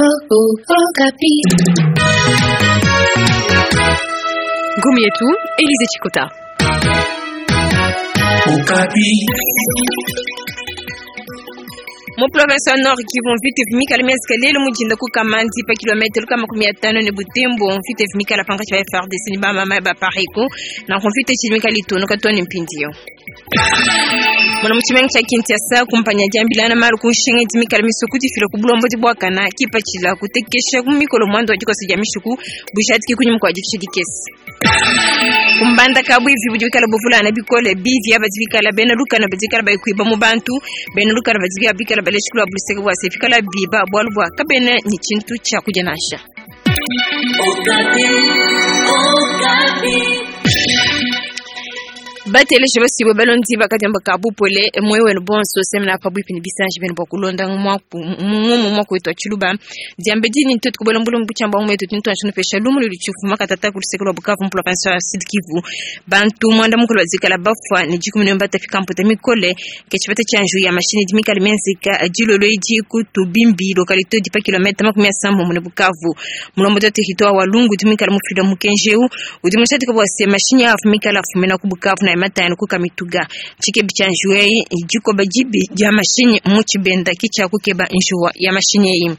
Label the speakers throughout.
Speaker 1: Ngumu yetu Elise Chikota.
Speaker 2: Mu province wa Nord Kivu mvita ivumikala miazika lelo mujinda ku Kamandi pa kilometre lukama makumi atano ne Butembo mvita ivumikala pankatshi pa FARDC ni bamama ba Apareco na mvita tshidimikala itonoka to ne mpindieu. Mona mu tshimenga tshia Kinshasa kumpanya diambilana malu ku nshinga idi mikale misue kudifila ku bulombodi buakana kipatshila kutekesha ku mikolo muanda wa dikosa dia mishiku bujadiki kunyima kua dikisha dikese. Ku mbandaka buivi budi bikala buvulangana bikole bivi aba badi bikala bena lukana badi bikala bayi kuiba mu bantu bena lukana badi bikala baleji kula buluseke bua se fikala biba bualu bua kabena ne tshintu tshia kudia nansha. Bateleji basibwe balondi bakadiamba ka bupole moyo wenu bonso semena pabuipi ne bisanji benu bua kulonda ngumu mwaku wetu wa tshiluba diambe dini ntetu kubola mbulungu butshiamba ngumu yetu tintu anshunu pesha lumu ludi tshifuma katata ku luseke lua Bukavu mu province ya Sud Kivu. Bantu mwanda mukulu bazikala bafua ne dikumi ne batafika mputa mikole ke tshipata tshia nju ya mashini di mikale mienzeka dilolo edi ku Tubimbi localité di pa kilomètre makumi asambombo ne Bukavu. Mulombodi wa territoire wa Lungu di mikale mufila mukenji eu udi mushadika bua se mashini afumikala afumina ku Bukavu na matano ku Kamituga. Tshikebi tshia njuwa eyi dikoba dibi dia mashinyi mu tshibenda ki tshia kukeba njuwa ya mashinyi eyi.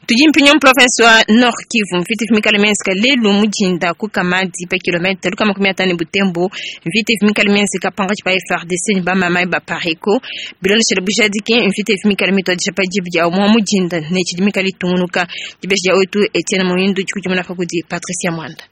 Speaker 2: Tudi mpinyo mu province wa Nord Kivu mvita ifumikala mienzeka lelu mujinda ku Kamadi pa kilomètre lukama makumi atano ne Butembo mvita ifumikala mienzeka pankatshi pa FARDC ne bamama ba Apareco bilondeshele bujadiki mvita ifumikala mituadija pa dibi dia umua mujinda ne tshidi mikala itungunuka dibeji dia wetu Etienne Muhindu dikudimuna pa kudi Patricia Mwanda.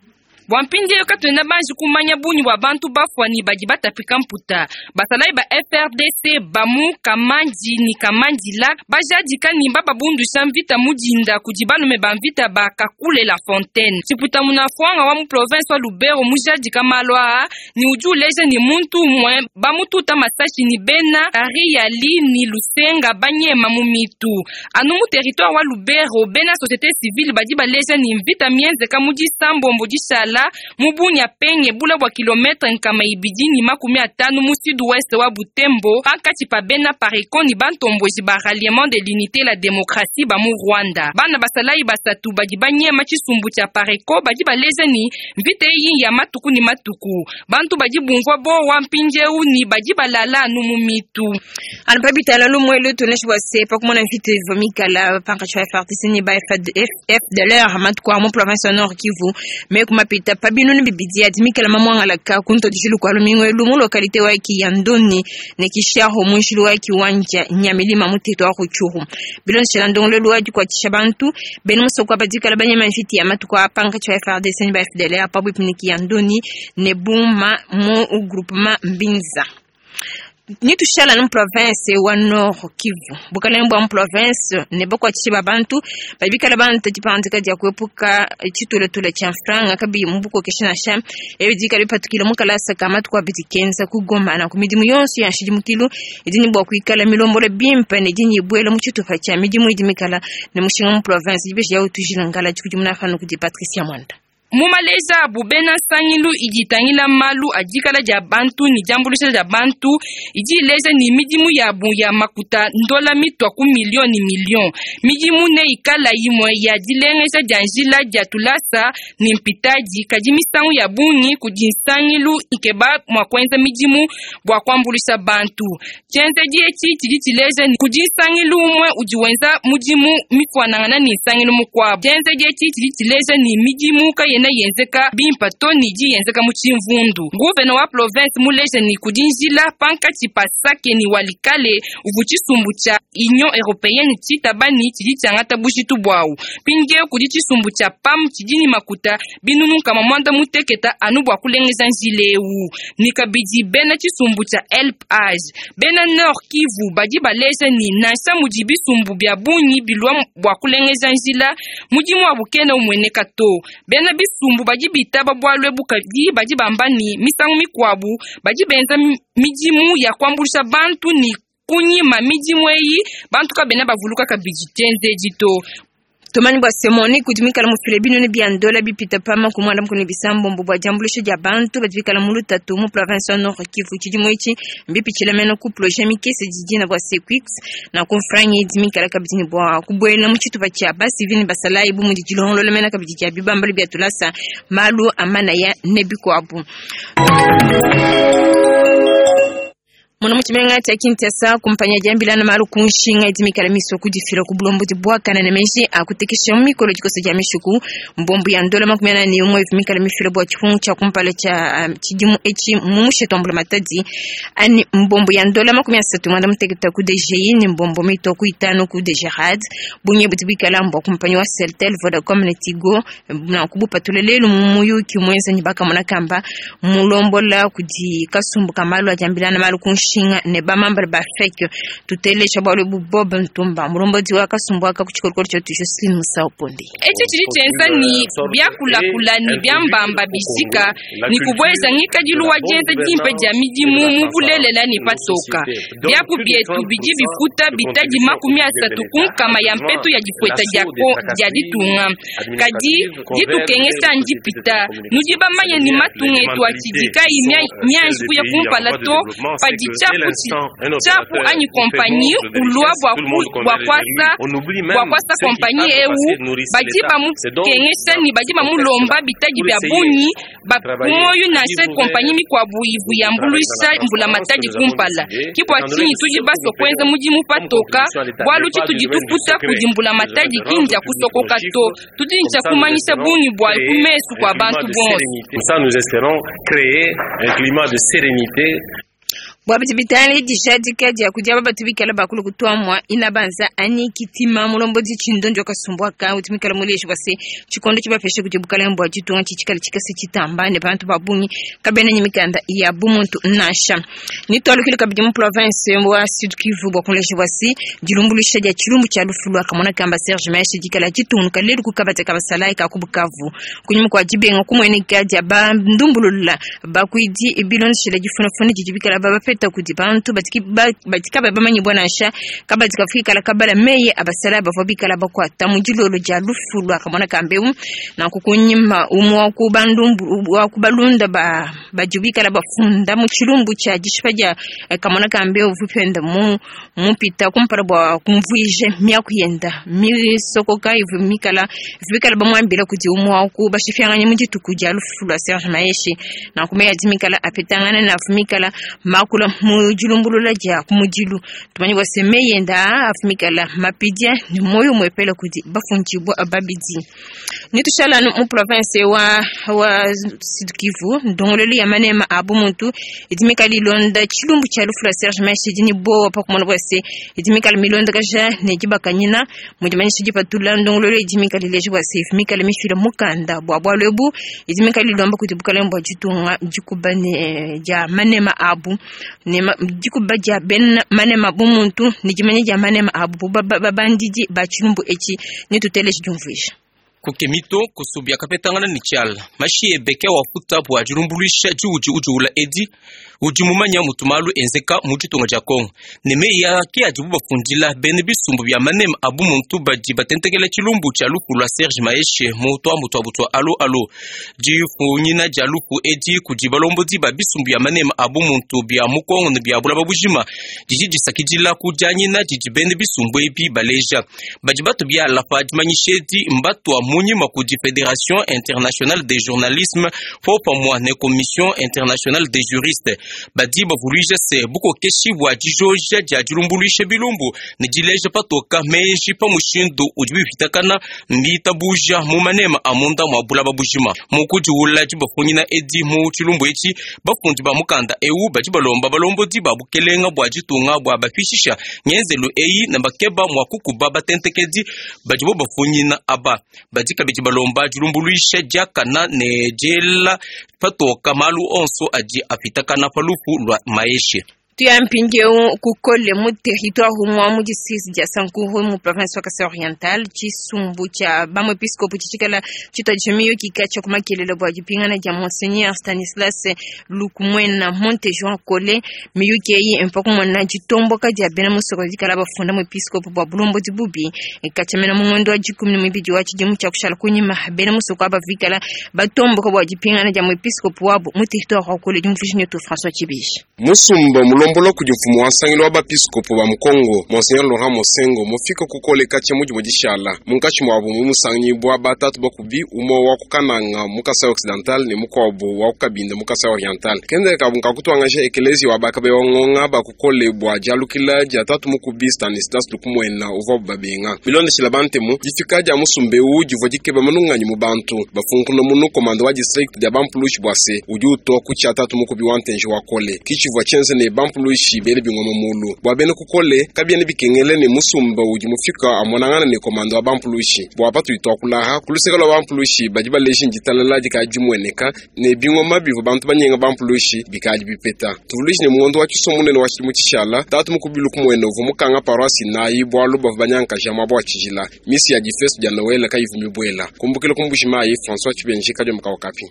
Speaker 3: Bua mpindieu katuena banji kumanya bungi bua bantu bafua ne badi batapika mputa. Basalayi ba FARDC ba mu Kamandi ne Kamandila bajadika ne bababundusha mvita mu dinda kudi balume ba mvita ba Kakule La Fontaine. Tshiputa munafuanga wa mu province wa Lubero mujadika malu aa ne udi uleja ne muntu umue bamututa masashi ne bena Kariali ne Lusenga banyema mu mitu. Anu mu territoire wa Lubero bena société civile badi baleja ne mvita mienzeka mu disambombo dishala mu Bunia penge bula bua kilometre nkama ibidi ne makumi atanu mu sud-ouest wa Butembo pankatshi pa bena Apareco ne bantomboji ba ralliement de l'unité la démocratie ba mu Rwanda. Bana basalayi basatu badi banyema tshisumbu tshia Apareco badi baleja ne mvita eyi ya matuku ne matuku. Bantu badi bumvua bowa mpindieu ne badi balala anu mu mitu.
Speaker 2: Anu pa bitala lumue lutu neshi bua se pa kumona mvita ivua mikala pankatshi pa FARDC ne ba FDLR matuku a mu province ya Nord Kivu me kumapita pa binunu bibidi adi mikala mamuangalaka ku ntuadijilu kua lumingu elu mu localité wa Kiyandoni ne Kishaho mu njilu wa Kiwanja Nyamilima mu territoire wa Rutshuru. Bilondeshela ndongoluelu wa dikuatshisha bantu bena musoko badi kala banyema mvita ya matuku a pankatshi pa FARDC ne ba FDLR pabuipi ne Kiyandoni ne Buma mu groupement Mbinza. Nitushala mu province wa Nord Kivu bukalenge bua mu province ne bakuatshishe ba bantu badi bikala bantu dipangadika dia kuepuka tshituletule tshia mfranga kabiyi mu bukokesha nansha ebi dikala bipatukile mu kalasa ka matuku abidi kenza ku Goma na ku midimu yonso ya nshidimukilu idi ne bua kuikala milombolo bimpe ne idi ibuela mu tshitupa tshia midimu idi mikala ne mushinga mu province dibeji ya utujila ngala dikudimuna pano kudi Patricia Mwanda.
Speaker 3: Mu maleja abu bena nsangilu idi itangila malu a dikala dia bantu ne diambuluisha dia bantu idi ileja ne midimu yabu ya makuta ndola mitua ku million ne million. Midimu ne ikala imue ya dilengeja dia njila dia tulasa ne mpitadi kadi misangu ya bungi kudi nsangilu ikeba mua kuenza midimu bua kuambuluisha bantu. Tshienzedi etshi tshidi tshileja ne kudi nsangilu umue udi wenza mudimu mifuanangana ne nsangilu mukuabu. Tshienzedi etshi tshidi tshileja ne midimu kayena yenzeka bimpa to ne idi yenzeka mu tshimvundu. Nguvena wa province muleja ne kudi njila pankatshi pa Sake ne Walikale uvu tshisumbu tshia Union européenne tshitaba ne tshidi tshiangata bujitu buawu. Mpindieu kudi tshisumbu tshia PAM tshidi ne makuta binunu nkama mwanda muteketa anu bua kulengeja njila eu. Ne kabidi bena tshisumbu tshia Help Age bena Nord Kivu badi baleja ne nansha mudi bisumbu bia bungi bilua bua kulengeja njila mudimu wabu kena umueneka to. Bena bisumbu badi bitaba bualu ebu kadi badi bamba ne misangu mikuabu badi benza midimu ya kuambuluisha bantu ne kunyima midimu eyi bantu kabena bavuluka kabidi tshienzedi to.
Speaker 2: Tumanye bua se MONUC udi muikale mufile binunu bia ndola bipite pa 36 bua diambuluisha dia bantu badi bikale mu lutatu mu province wa Nord Kivu. Tshidimu etshi mbipitshile mene ku projet mikese didina bua Sequix na ku mfranga idi mikale kabidi ne bua kubuela mu tshitupa tshia basivili ne basalayi bu mudi dilongolola mene kabidi dia bibambalu bia tulasa, malu a manaya ne bikuabu. Mona mu tshimenga tshia Kinshasa, kumpanyi ya diambilana malu ku nshinga idi mikale misue kudifila ku bulombodi buakane ne meji a kutekesha mu mikolo dikosa dia mishiku. Mbombu ya ndola 41 ivua mikale mifila bua tshipungu tshia kumpala tshia tshidimu etshi mu mushete wa mbulamatadi anyi mbombu ya ndola 36 ku DGI ne mbombo mitua ku itanu ku DGRAD. Bungi budi buikala mbua kumpanyi wa Celtel, Vodacom ne Tigo. Nanku bupatula lelu mu muyuki muenza ne bakamona kamba mulombola kudi kasumbu ka malu a diambilana malu ku nshinga ne bamambala ba FEC. Tuteleja bualu ebu Bob Ntumba, mulombodi wa kasumbu aka ku tshikolokolo tshietu Jocelyn Musau Ponde.
Speaker 3: Etshi tshidi tshienza ne biakulakula ne biambamba bijika ne kubueja ngikadilu wa dienza dimpe dia midimu mu bulelela ne patoka. Biapu bietu bidi bifuta bitadi 30% ya mpetu ya difueta dia ditunga. Kadi ditukengesha ndipita. Nudi bamanye ne matunga etu atshidi kayi mianji kuya kumpala to padi tshiapu anyi kompanyi ulua bua kuasa kompanyi eu, badi bamukengesha ne badi bamulomba bitadi bia bungi ba ku muoyo nansha kompanyi mikuabu ivu yambuluisha mbulamatadi kumpala. Ke bua tshinyi tudi basue kuenza mudimu patoka, bualu tshitudi tufuta kudi mbulamatadi ki ndia kusokoka to, tudi ne tshia kumanyisha bungi buayi ku mesu kua bantu bonso.
Speaker 4: Ça, nous espérons créer un climat de sérénité.
Speaker 2: Bua bidi bitangila dijadika dia kudi aba batu bikala bakulu kutuamua inabanza anyi kitima mulombodi tshindondi wa kasumbu aka udi muikale muleji bua se tshikondo tshibapesha kudi bukalenge bua ditunga tshitshikale tshikese tshitamba ne bantu ba bungi kabena ne mikanda ya bumuntu nansha. Nitualukile kabidi mu province wa Sud Kivu bua kuleja bua se dilumbuluisha dia tshilumbu tshia lufu lua kamona kamba Serge Maheshe dikala ditungunuka lelu ku kabadi ka basalayi ka ku Bukavu kunyima kua dibenga kumueneka dia bandumbulula bakuidi bilondeshile difunafuna didi bikala babapeta kudi bantu badi kabayi bamanyibua nansha kabadi kafikala kabala meye abasalayi bavua bikala bakuata mu dilolo dia lufu lua kamona kambeu. Nanku kunyima umue wa ku bandumbu wa ku balunda ba badi bikala bafunda mu tshilumbu tshia dishipa dia kamona kambeu uvua mu mupita kumpala bua kumvuija miaku yenda misokoka ivua mikala bikala bamuambila kudi umue wa ku bashipianganyi mu dituku dia lufu lua Serge Maheshe. Nanku meyi adi mikala apetangana ne avua mikala makula mu dilumbulula dia ku mudilu. Tumanye bua se meyi enda aa avua mikala mapidia ne muoyo umuepele kudi bafundibua babidi. Nitushala anu mu province wa Sud Kivu, ndongoluelu ya manema a bumuntu idi mikala ilonda tshilumbu tshia lufu lua Serge Maheshe idi ne bowa pa kumona bua se idi mikala milondakaja ne dibakanyina mu dimanyisha dipatula ndongoluelu idi mikala ileja bua se mikala mifila mukanda bua bualu ebu idi mikala ilomba kudi bukalenge bua ditunga dikuba ne dia manema abu ne dikuba dia bena manema bumuntu ne dimanya dia manema abu babandidi ba tshilumbu etshi. Nituteleje diumvuija.
Speaker 5: Kukemito kusubya kapetangana ne tshiala mashi ebeke wafuta bua dilumbuluisha diudi udiula edi udi mumanya mutu malu enzeka mu ditunga dia Kongo ne meyi ake adibu bafundila bene bisumbu bia manema abu muntu badi batentekela tshilumbu tshia lufu lua Serge Maheshe mu tuambu tuabu tua alo alo. Difunyina dia lufu edi kudi balombodi ba bisumbu bia manema abu muntu bia mu Kongo ne bia bulaba bujima didi disakidila ku dianyina didi bene bisumbu ebi baleja badi batu biala pa dimanyisha edi mbatua munyima kudi Fédération internationale des journalismes popamwa ne Commission internationale des juristes badi bavuluija se bukokeshi bua dijoja dia dilumbuluisha bilumbu ne dileja patoka meji pa mushindu udi bipitakana mbitabuja mu manema a munda mua bulaba bujima. Mukudiwula dibafunyina edi mu tshilumbu etshi bafundi ba mukanda eu badi balomba balombodi ba bukelenga bua ditunga bua bapishisha ngenzelu eyi ne bakeba mua kukuba batentekedi badi bo bafunyina aba. Badi kabidi balomba dilumbuluisha diakana ne diela patoka malu onso adi apitakana pa lufu lua Maheshe.
Speaker 2: Tuya mpindieu kukole mu territoire umwa mu district dia Sankuru mu province wa Kasai Oriental tshisumbu tshia bamuepiskopo tshitshikala tshituadija miyuki katshia ku makelele bua dipingana dia Monseigneur Stanislas Lukumwena Montejoan Kole. Miyuki eyi mpa kumona ditomboka dia bena musoko dikala bafunda muepiskopo bua bulombodi bubi katshia mena mu ngondo wa 12 wa tshidimu tshia kushala kunyima. Bena musoko aba vikala batomboka bua dipingana dia muepiskopo wabo mu territoire wa Kole. Diumvuija netu François Tshibishi.
Speaker 6: Musumba mulombola kudi mfumu wa nsangilu wa bapiskopo ba mu Kongo Monseigneur Laurent Mosengo mufika kukole katshia mudimu dishala munkatshi muabu mu musangibua batatu bakubi umue wa ku Kananga mu Kasai Occidental ne mukuabu wa ku Kabinda mu Kasai Oriental. Kendele kabu nkakutuangaja ekelezi wa bakabe wa ngonga bakukole bua dialukila dia tatu mukubi Stanislas Lukumwena uvuabu babenga. Bilondeshila bantemu difika dia musumba eu divua dikeba manunganyi mu bantu bafunkuna munu komanda wa district dia bampulushi bua se udi utua ku tshia tatu mukubi wa ntenji wa kole kichivua tshienze ne bampulushi bele bingoma mulu bua bena kukole kabiene bikengele ne musumba udi mufika amonangana ne komanda wa bampulushi bua patudi tuakulaha kuluseka lua bampulushi badi baleji nditalala dikadi dimueneka ne bingoma bivua bantu banyenga bampulushi bikadi bipeta. Tuvuluishi ne muondo wa tshiso munene wa tshidimu tshishala tatu mukubi Lukumwena uvua mukanga paroisse nayi bualu bavua banyankaja muaba wa tshijila misi ya difesto dia Noel kayivu mibuela kumbukila ku Mbuji-Mayi. François Tshibenji kadiomba ka Okapi.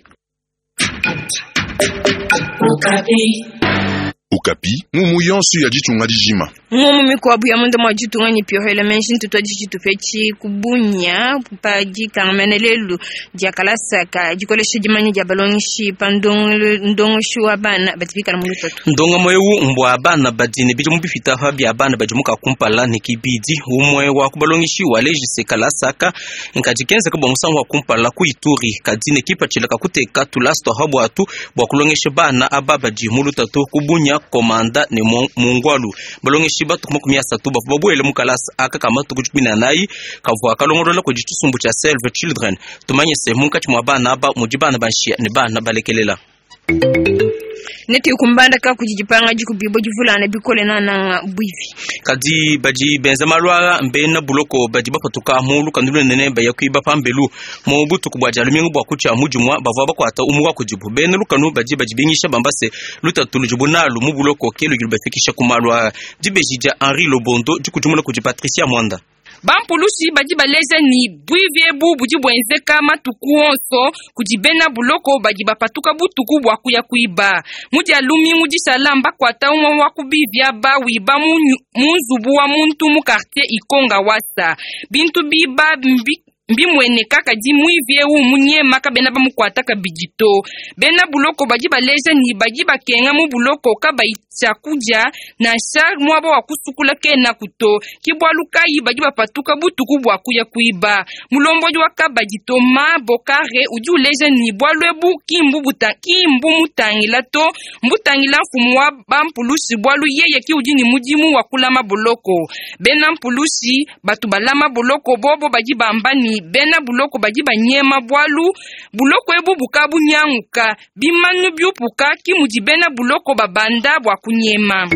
Speaker 7: Okapi mumu yonso ya ditunga dijima.
Speaker 2: Ngumu mikuabu ya munda mwa ditunga ni piohela menshi ntutu ditshitupetshi kubunya pa dikangamene lelu dia kalasa ka dikolesha dimanya dia balongeshi pa ndongoshi wa bana batipikala mu lutatu.
Speaker 5: Ndongamo eu mbwa bana badi ne bidimu bipita pa bia bana badi muka kumpala ne kibidi umwe wa kubalongeshi wa lejise kalasaka nkadi kenzeka bua musangu wa kumpala ku Ituri kadi ne kipatshila kakuteka tulasa tua habwatu bua kulongesha bana aba badi mu lutatu kubunya komanda ne mungwalu. Balongeshi batu 30 bavua babuele mu kalasa aka ka matuku 14 kavua kalongolola kudi tshisumbu tshia Save Children. Tumanye se munkatshi mua bana aba mudi bana banshia ne bana balekelela.
Speaker 2: Neti kumbanda ka kudi dipanga dikubibo divulana bikole nananga bwivi.
Speaker 5: Kadi badi benza malu aa mbena buloko badi bapatuka mu lukanu lunene baya kuiba pambelu mu butuku bua dia lumingu bua kutshia mudimua bavua bakuata umue wa kudibu. Bena lukanu badi badibingisha bamba se lutatu ludibu nalu mu buloko ke ludi lubafikisha ku malu aa. Dibeji dia Henri Lobondo dikudimuna kudi Patricia Mwanda.
Speaker 3: Bampulushi badi baleja ni bwivi ebu budi buenzeka matuku onso kudi bena buloko badi bapatuka butuku bua kuya kuiba. Mu dia lumingu dishala mbakuata umue wa kubivi aba wiba mu nzubu wa muntu mu quartier Ikonga wasa. Bintu biba mbimueneka kadi mwivi eu munyema kabena bamukuata kabidi to. Bena buloko badi baleja ni badi bakenga mu buloko kabayi tshiakudia nansha muaba wa kusukula kena kuto. Ki bualu kayi badi bapatuka butuku bua kuya kuiba. Mulombodi wa kabadi Thomas Bokare udi uleja ni bualu ebu ki mbumutangila to, mbutangila mfumu wa bampulushi bualu yeye ki udi ni mudimu wa kulama buloko. Bena mpulushi batu balama buloko bobo badi bamba ni bena buloko badi banyema bualu buloko ebu bukabu nyanguka bimanu byupuka ki mudi bena buloko babanda bua kunyema.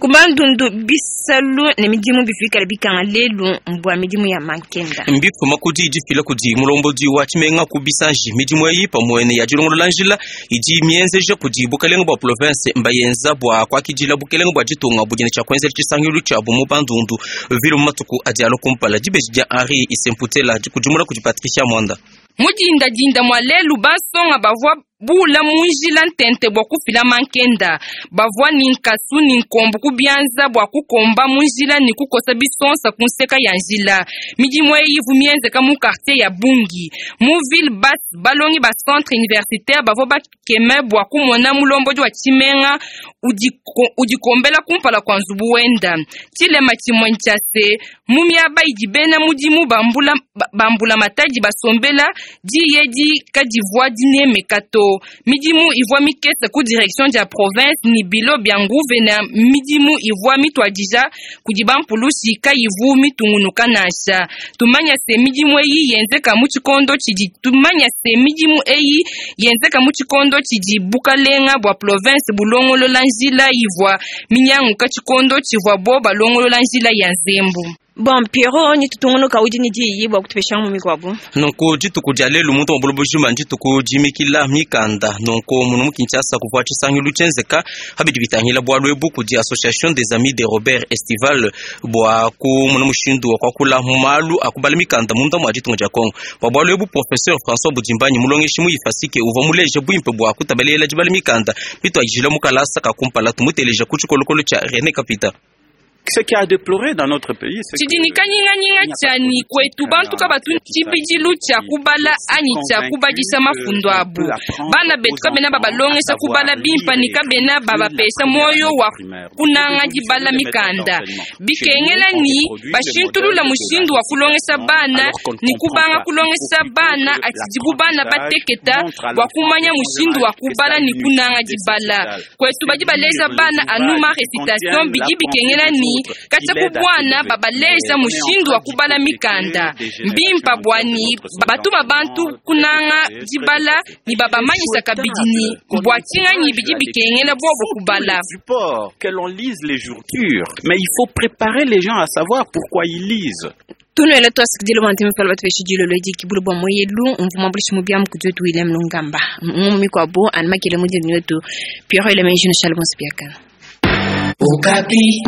Speaker 2: Kubandundu bisalu ne midimu bifikala bikanga lelu mbwa midimu ya mankenda.
Speaker 5: Mbifuma kudi difila kudi mulombodi wa tshimenga ku bisanji midimu eyi pamue ne ya dilongolola njila idi mienzeja kudi bukelenge bua province mbayenza bua kuakidila bukelenge bua ditunga budi ne tshia kuenzela tshisangilu tshiabu mu bandundu vile mu matuku adi alua kumpala. Dibeji dia Henri Isemputela dikudimuna kudi Patricia Mwanda.
Speaker 3: Mudindadinda mwa lelu basonga bavua bula munjila ntente bua kufila mankenda bavua ni nkasu ni nkombo kubianza bua kukomba munjila ni kukosa bisonsa kunseka ya njila. Midimu eyi ivu mienzeka mu quartier ya Bungi mu ville basse balongi ba centre universitaire bavua bakeme bua kumona mulombodi wa tshimenga udikombela kumpala kua nzubu wenda. Tshilema tshimue ntshia se mu miaba idi bena mudimu bambula matadi basombela diye kadivua dinemeka to. Midimu ivua mikese ku direction dia province ni bilo bia nguvena midimu ivua mituadija kudi bampulushi kayivu mitungunuka nansha. Tumanya se midimu eyi yenzeka mu tshikondo tshidi tumanya se midimu eyi yenzeka mu tshikondo tshidi bukalenga bua province bulongolola njila ivua minyanguka tshikondo tshivua bo balongolola njila ya nzembu.
Speaker 2: Bon Pierrot ni tutungunuka udi ni diyi bua kutupesha mu mikuabu.
Speaker 5: Nunku dituku dia lelu muntu wa buloba bujima ndituku dimikila mikanda. Nunku munu mu Kinshasa kuvua tshisangilu tshienzeka habidi bitangila bualu ebu kudi Association des Amis de Robert Estival bua kumuna mushindu wa kuakula mu malu a kubala mikanda munda mua ditunga dia Congo. Bua bualu ebu Professeur François Budimbanyi mulongeshi mu Ifasike uvua muleje buimpe bua kutabalela dibala mikanda bituadijila mu kalasa ka kumpala tumuteleja ku tshikolokolo tshia René Kapita.
Speaker 8: Ce qui a déploré dans notre pays, c'est
Speaker 3: Tshidi ni kanyinganyinga tshianyi kwetu bantu kabatu tshibidilu tshia kubala anyi tshia kubadisha mafundu abu. Bana betu kabena babalongesha kubala bimpa ni kabena babapesha moyo wa kunanga dibala mikanda. Bikengela ni bashintulula mushindu wa kulongesha bana ni kubanga kulongesha bana atidibu bana bateketa wa kumanya mushindu wa kubala ni kunanga dibala. Kwetu badi baleza bana anu ma recitation bidi bikengela ni katya kubwana babaleja mushindu wa kubala mikanda mbimpa bwani batuma bantu kunanga dibala ni babamanyisa kabidi ni bwatinganyi bidi bikengela bobo kubala.
Speaker 8: Support, que l'on lise les jours mais il faut préparer les gens à savoir pourquoi ils lisent.
Speaker 2: Tunuela twasikidile bua ntemi pala batupesha dilolo edi kibulu bua moyelu mvuma bulishi mubiamu kudi wetu William Lungamba ngumu mikuabu animakele mudini wetu Pierrot Eleme Jino Shalom Sipiakana.
Speaker 9: Okapi.